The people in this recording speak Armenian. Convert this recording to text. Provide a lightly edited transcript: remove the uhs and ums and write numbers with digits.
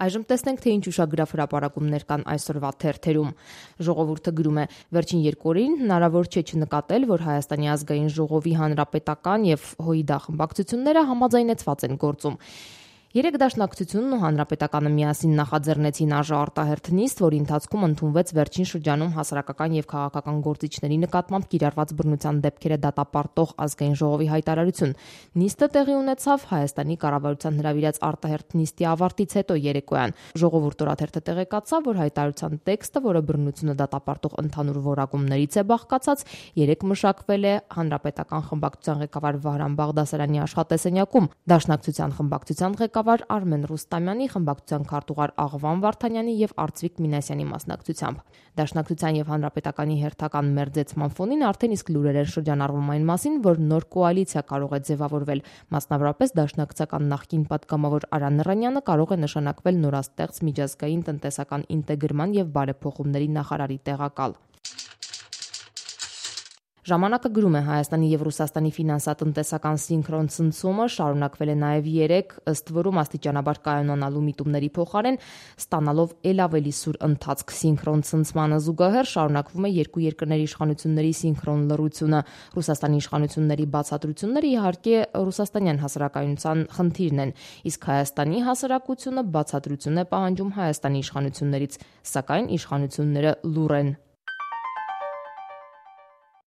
Այժմ տեսնենք, թե ինչ ուշագրավ հրապարակումներ կան այսօրվա թերթերում։ Ժողովուրդը գրում է. վերջին 2 օրին հնարավոր չէ չնկատել, որ Հայաստանի ազգային ժողովի հանրապետական եւ ՀՅԴ խմբակցությունները համաձայնեցված են գործում։ 3 դաշնակցությունն ու հանրապետականը միասին նախաձեռնեցին արտահերթ նիստ, որի ընթացքում ընդունվեց վերջին շրջանում հասարակական եւ քաղաքական գործիչների նկատմամբ կիրառված բռնության դեպքերը դատապարտող ազգային ժողովի հայտարարություն։ Նիստը տեղի ունեցավ Հայաստանի կառավարության հրավիրած արտահերթ նիստի ավարտից հետո երեկոյան։ Ժողովուրդ օրաթերթը տեղեկացավ, որ հայտարարության տեքստը, որը բռնությունը դատապարտող ընդհանուր որակումներից է բաղկացած, 3 մշակվել է հանրապետական խմբակցության ղեկավար Վահրամ Բաղդասարյանի աշխատասենյակում, դաշնակցության խմբակցության ղեկավար Արմեն Ռուստամյանի, խմբակցության քարտուղար Աղվան Վարդանյանի եւ Արծվիկ Մինասյանի մասնակցությամբ։ Դաշնակցության եւ հանրապետականի հերթական մերձեցման ֆոնին արդեն իսկ լուրեր են շրջանառվում այն մասին, որ նոր կոալիցիա կարող է ձևավորվել։ Մասնավորապես դաշնակցական նախկին պատգամավոր Արա Նռանյանը կարող է նշանակվել նորաստեղծ միջազգային տնտեսական ինտեգրման եւ բարեփոխումների նախարարի տեղակալ։ Ժամանակը գրում է. Հայաստանի եւ Ռուսաստանի ֆինանսատնտեսական սինխրոն ցնցումը շարունակվել է նաեւ 3, ըստ որում աստիճանաբար կայանանալու միտումների փոխարեն ստանալով ել ավելի սուր ընթացք։ Սինխրոն ցնցմանը զուգահեռ շարունակվում է երկու երկրների իշխանությունների սինխրոն լռությունը։ Ռուսաստանի իշխանությունների բացատրությունները իհարկե ռուսաստանյան հասարակայնության խնդիրն են, իսկ Հայաստանի հասարակությունը բացատրություն է պահանջում Հայաստանի իշխանություններից, սակայն իշխանությունները լուռ են։